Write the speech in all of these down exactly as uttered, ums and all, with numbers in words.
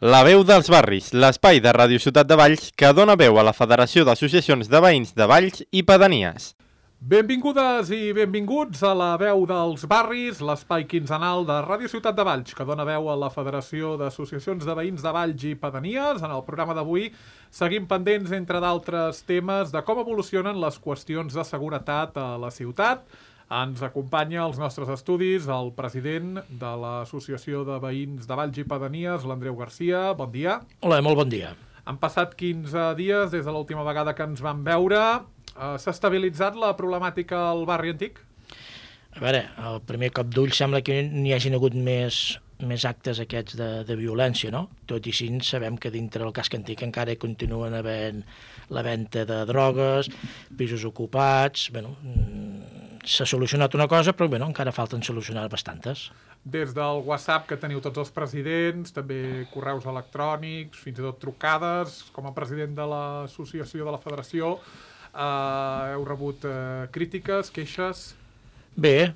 La veu dels barris, l'espai de Ràdio Ciutat de Valls que dona veu a la Federació d'Associacions de Veïns de Valls i Pedanies. Benvingudes i benvinguts a la veu dels barris, l'espai quinzenal de Ràdio Ciutat de Valls, que dona veu a la Federació d'Associacions de Veïns de Valls i Pedanies. En el programa d'avui seguim pendents, entre d'altres temes, de com evolucionen les qüestions de seguretat a la ciutat. Ens acompanya als nostres estudis el president de l'Associació de Veïns de Valls i Pedanies, l'Andreu Garcia. Bon dia. Hola, molt bon dia. Han passat quinze dies des de l'última vegada que ens vam veure. Uh, S'ha estabilitzat la problemàtica al barri antic? A veure, al primer cop d'ull sembla que n'hi hagin hagut més, més actes aquests de, de violència, no? Tot i així sabem que dintre del casc antic encara continuen havent la venda de drogues, pisos ocupats. Bueno, s'ha solucionat una cosa, però bueno, encara falten solucionar bastantes. Des del WhatsApp que teniu tots els presidents, també correus electrònics, fins i tot trucades, com a president de l'associació de la federació, Uh, heu rebut uh, crítiques, queixes? Bé,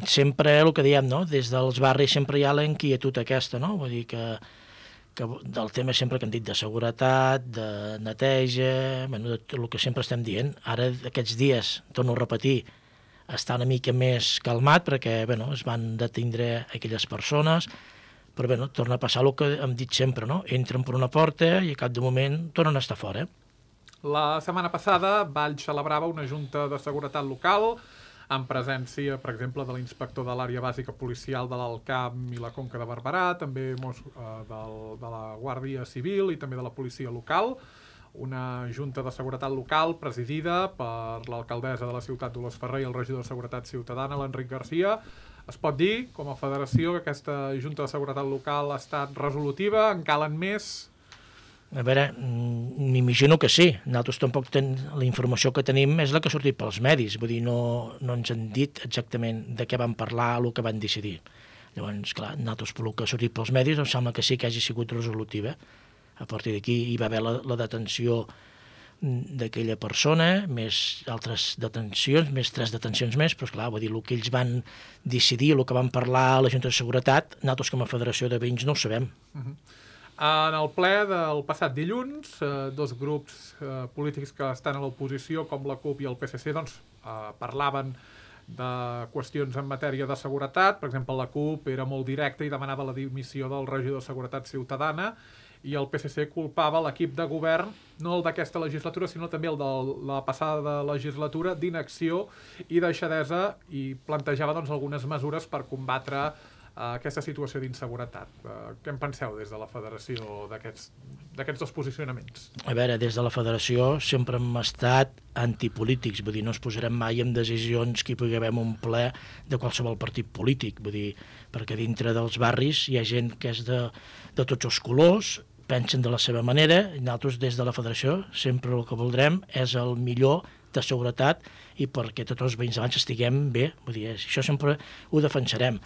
sempre el que diem, no? Des dels barris sempre hi ha la inquietud aquesta, no? Vull dir que, que del tema sempre que hem dit de seguretat, de neteja, bueno, de el que sempre estem dient. Ara, aquests dies, torno a repetir, està una mica més calmat perquè bueno, es van detindre aquelles persones, però bueno, torna a passar el que hem dit sempre, no? Entren per una porta i a cap de moment tornen a estar fora. La setmana passada Valls celebrava una junta de seguretat local en presència, per exemple, de l'inspector de l'àrea bàsica policial de l'Alt Camp i la Conca de Barberà, també eh, del, de la Guàrdia Civil i també de la policia local. Una junta de seguretat local presidida per l'alcaldessa de la ciutat, Dolors Ferrer, i el regidor de Seguretat Ciutadana, l'Enric Garcia. Es pot dir, com a federació, que aquesta junta de seguretat local ha estat resolutiva? En calen més? A veure, m'imagino que sí. Nosaltres tampoc ten... la informació que tenim és la que ha sortit pels medis. Vull dir, no, no ens han dit exactament de què van parlar, el que van decidir. Llavors, clar, nosaltres pel que ha sortit pels medis em sembla que sí que hagi sigut resolutiva. A partir d'aquí hi va haver la, la detenció d'aquella persona, més altres detencions, més tres detencions més, però esclar, vull dir, el que ells van decidir, el que van parlar a la Junta de Seguretat, nosaltres com a Federació de Veïns no ho sabem. Uh-huh. En el ple del passat dilluns, eh, dos grups eh, polítics que estan a l'oposició, com la CUP i el P S C, doncs, eh, parlaven de qüestions en matèria de seguretat. Per exemple, la CUP era molt directa i demanava la dimissió del regidor de Seguretat Ciutadana, i el P S C culpava l'equip de govern, no el d'aquesta legislatura, sinó també el de la passada legislatura, d'inacció i deixadesa, i plantejava doncs, algunes mesures per combatre aquesta situació d'inseguretat. Què en penseu des de la federació d'aquests dos posicionaments? A veure, des de la federació sempre hem estat antipolítics, vull dir, no ens posarem mai en decisions que hi pugui haver un ple de qualsevol partit polític, vull dir, perquè dintre dels barris hi ha gent que és de, de tots els colors, pensen de la seva manera, i nosaltres des de la federació sempre el que voldrem és el millor de seguretat i perquè tots els veïns abans estiguem bé, vull dir, això sempre ho defensarem.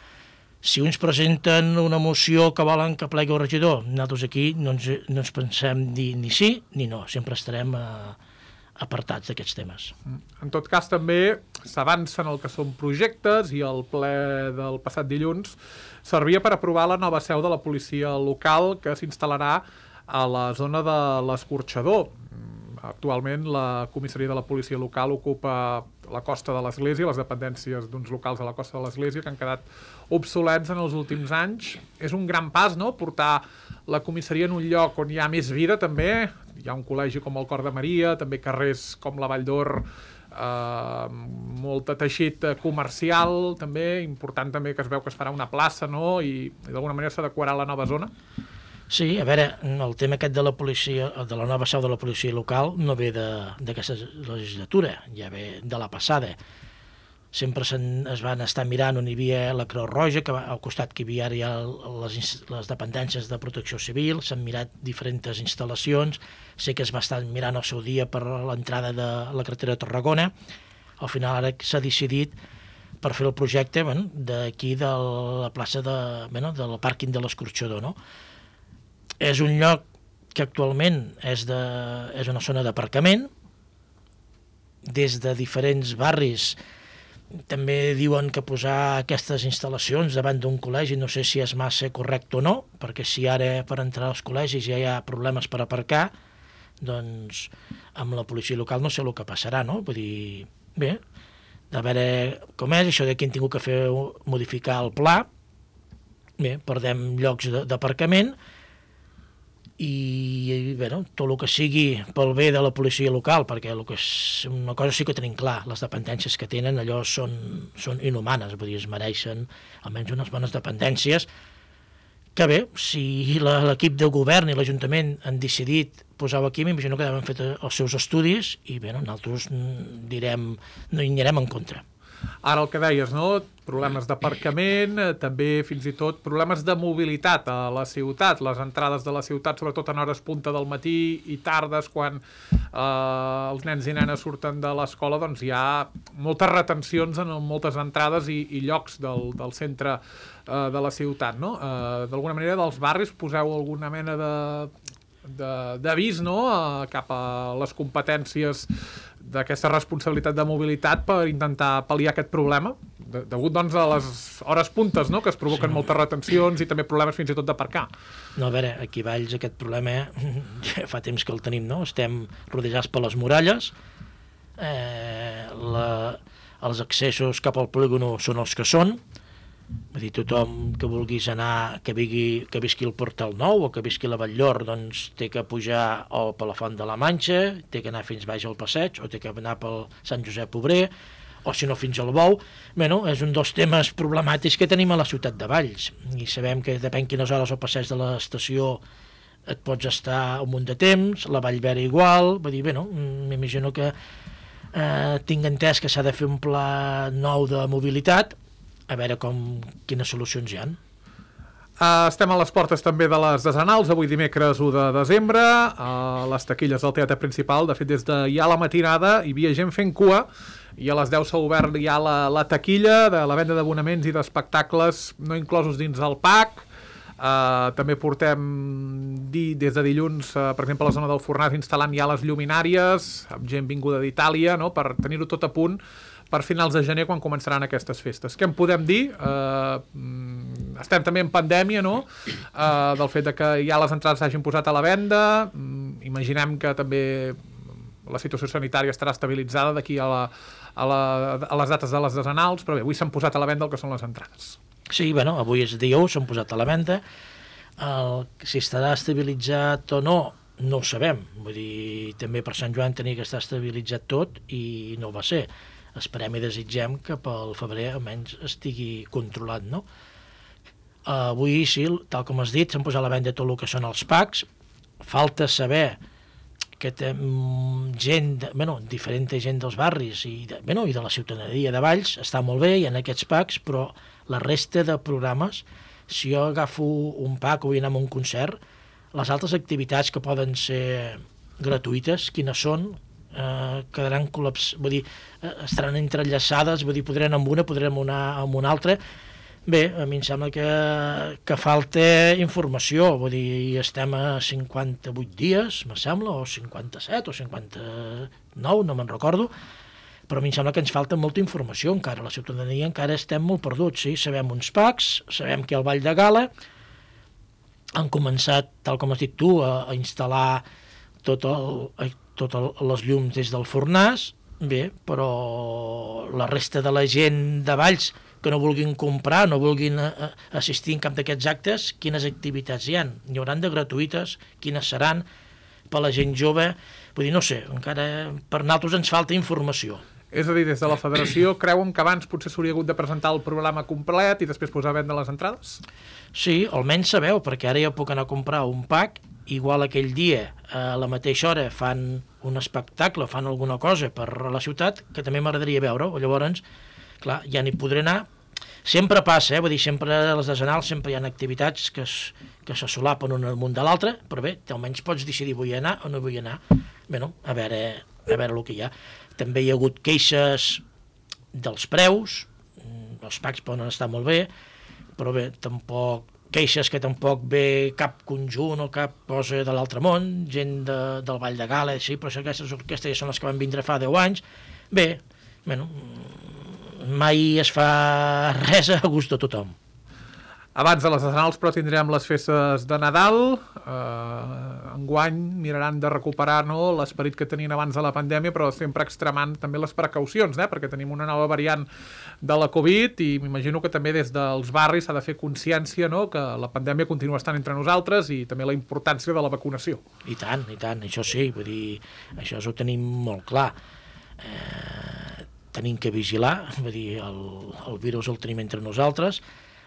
Si uns presenten una moció que volen que plegui el regidor, nosaltres aquí no ens, no ens pensem dir ni sí ni no, sempre estarem eh, apartats d'aquests temes. En tot cas, també s'avancen el que són projectes, i el ple del passat dilluns servia per aprovar la nova seu de la policia local que s'instal·larà a la zona de l'Escorxador. Actualment la comissaria de la policia local ocupa la costa de l'Església, les dependències d'uns locals a la costa de l'Església que han quedat obsolets en els últims anys. És un gran pas, no?, portar la comissaria en un lloc on hi ha més vida, també. Hi ha un col·legi com el Cor de Maria, també carrers com la Vall d'Or, eh, molt de teixit comercial, també. Important també que es veu que es farà una plaça, no?, i, i d'alguna manera s'adequarà a la nova zona. Sí, a veure, el tema aquest de la policia, de la nova seu de la policia local no ve d'aquesta legislatura, ja ve de la passada. Sempre es van estar mirant on hi havia la Creu Roja, que al costat que hi havia ara les, les dependències de protecció civil, s'han mirat diferents instal·lacions, sé que es va estar mirant al seu dia per l'entrada de la carretera de Tarragona. Al final ara s'ha decidit per fer el projecte bueno, d'aquí de la plaça de, bueno, del pàrquing de l'Escorxador, no? És un lloc que actualment és, de, és una zona d'aparcament. Des de diferents barris també diuen que posar aquestes instal·lacions davant d'un col·legi no sé si és massa correcte o no, perquè si ara per entrar als col·legis ja hi ha problemes per aparcar, doncs amb la policia local no sé el que passarà, no? Vull dir, bé, de veure com és, això de que hem tingut que fer modificar el pla, bé, perdem llocs d'aparcament, i bé, no, tot el que sigui pel bé de la policia local, perquè el que és, una cosa sí que tenim clar, les dependències que tenen allò són, són inhumanes, vull dir, es mereixen almenys unes bones dependències, que bé, si l'equip de govern i l'Ajuntament han decidit posar-ho aquí, m'imagino que deuen fet els seus estudis i bé, no, nosaltres direm, no hi anirem en contra. Ara el que deies, no? Problemes d'aparcament, també fins i tot problemes de mobilitat a la ciutat, les entrades de la ciutat, sobretot en hores punta del matí i tardes, quan eh, els nens i nenes surten de l'escola, doncs hi ha moltes retencions en moltes entrades i, i llocs del, del centre eh, de la ciutat, no? Eh, d'alguna manera, dels barris poseu alguna mena de d'avís, no?, eh, cap a les competències d'aquesta responsabilitat de mobilitat per intentar pal·liar aquest problema, de, degut doncs a les hores puntes, no?, que es provoquen sí. moltes retencions i també problemes fins i tot d'aparcar. No, a veure, aquí a Valls aquest problema ja fa temps que el tenim, no? Estem rodejats per les muralles, eh, la, els accessos cap al polígono són els que són, vull dir, tothom que vulguis anar, que, vigui, que visqui el Portal Nou o que visqui la Batllor, doncs té que pujar o per la Font de la Manxa, té que anar fins baix al passeig, o té que anar pel Sant Josep Obrer, o si no fins al Bou. Bé, no, és un dels temes problemàtics que tenim a la ciutat de Valls, i sabem que depèn quines hores al passeig de l'estació et pots estar un munt de temps, la Vallvera igual, vull dir, bé, no, m'imagino que eh, tinc entès que s'ha de fer un pla nou de mobilitat, a veure com, quines solucions hi ha. Uh, estem a les portes també de les desenals, avui dimecres u de desembre, a les taquilles del teatre principal. De fet, des de ja la matinada hi havia gent fent cua, i a les deu s'ha obert ja la, la taquilla de la venda d'abonaments i d'espectacles no inclosos dins el P A C. Uh, també portem di, des de dilluns, uh, per exemple, a la zona del Fornàs instal·lant ja les lluminàries, amb gent vinguda d'Itàlia, no?, per tenir-ho tot a punt per finals de gener, quan començaran aquestes festes. Què en podem dir? Uh, estem també en pandèmia, no?, uh, del fet de que ja les entrades s'hagin posat a la venda. Um, imaginem que també la situació sanitària estarà estabilitzada d'aquí a, la, a, la, a les dates de les desenals, però bé, avui s'han posat a la venda el que són les entrades. Sí, bueno, avui és dia u, s'han posat a la venda. El, si estarà estabilitzat o no, no ho sabem. Vull dir, també per Sant Joan tenia que estar estabilitzat tot i no va ser. Esperem i desitgem que pel febrer almenys estigui controlat, no? Uh, avui, sí, tal com has dit, s'han posat a la venda tot el que són els P A Cs. Falta saber que té gent, de, bueno, diferent gent dels barris i de, bueno, i de la ciutadania de Valls, està molt bé, hi ha aquests P A Cs, però la resta de programes, si jo agafo un P A C o vull anar a un concert, les altres activitats que poden ser gratuïtes, quines són, eh, quedaran col·laps, vull dir, eh, estaran entrellaçades, vull dir, podrem anar amb una, podrem anar amb una altra. Bé, a mi em sembla que, que falta informació, vull dir, estem a cinquanta-vuit dies, me sembla, o cinquanta-set, o cinquanta-nou, no me'n recordo, però a mi em sembla que ens falta molta informació encara, la ciutadania encara estem molt perduts, sí? Sabem uns P A Cs, sabem que al Vall de Gala han començat, tal com has dit tu, a, a instal·lar tot el, totes les llums des del Fornàs, bé, però la resta de la gent de Valls que no vulguin comprar, no vulguin assistir en cap d'aquests actes, quines activitats hi ha? Hi hauran de gratuïtes, quines seran per la gent jove? Vull dir, no sé, encara per nosaltres ens falta informació. És a dir, des de la federació creuen que abans potser s'hauria hagut de presentar el programa complet i després posar a vendre les entrades? Sí, almenys sabeu, perquè ara ja puc anar a comprar un P A C, igual aquell dia a la mateixa hora fan un espectacle, fan alguna cosa per la ciutat que també m'agradaria veure, o llavors, clar, ja n'hi podré anar. Sempre passa, eh? Vull dir, sempre a les desenals sempre hi ha activitats que, es, que se solapen un al munt de l'altre, però bé, almenys pots decidir vull anar o no vull anar. Bé, no, a veure, a veure el que hi ha. També hi ha hagut queixes dels preus, els P A Cs poden estar molt bé, però bé, tampoc queixes que tampoc ve cap conjunt o cap cosa de l'altre món, gent de, del Vall de Gala, sí, però aquestes orquestres ja són les que van vindre fa deu anys. Bé, bueno, mai es fa res a gust de tothom. Abans de les nacionals, però, tindrem les festes de Nadal. Eh, enguany miraran de recuperar, no, l'esperit que tenien abans de la pandèmia, però sempre extremant també les precaucions, eh, perquè tenim una nova variant de la Covid i m'imagino que també des dels barris s'ha de fer consciència, no, que la pandèmia continua estant entre nosaltres i també la importància de la vacunació. I tant, i tant, això sí, vull dir, això ho tenim molt clar. Eh, tenim que vigilar, vull dir, el, el virus el tenim entre nosaltres.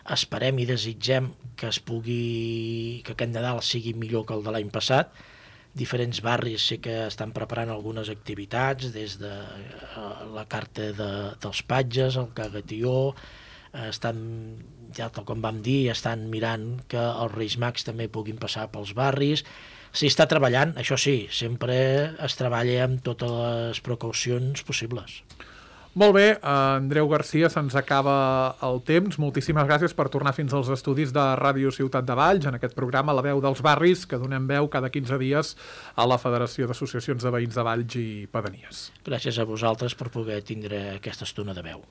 Esperem i desitgem que es pugui, que aquest Nadal sigui millor que el de l'any passat. Diferents barris sé que estan preparant algunes activitats, des de la carta de, dels patges, el cagatió, estan, ja tal com vam dir, estan mirant que els Reis Mags també puguin passar pels barris. S'hi està treballant, això sí, sempre es treballa amb totes les precaucions possibles. Molt bé, Andreu Garcia, se'ns acaba el temps. Moltíssimes gràcies per tornar fins als estudis de Ràdio Ciutat de Valls, en aquest programa La Veu dels Barris, que donem veu cada quinze dies a la Federació d'Associacions de Veïns de Valls i Pedanies. Gràcies a vosaltres per poder tindre aquesta estona de veu.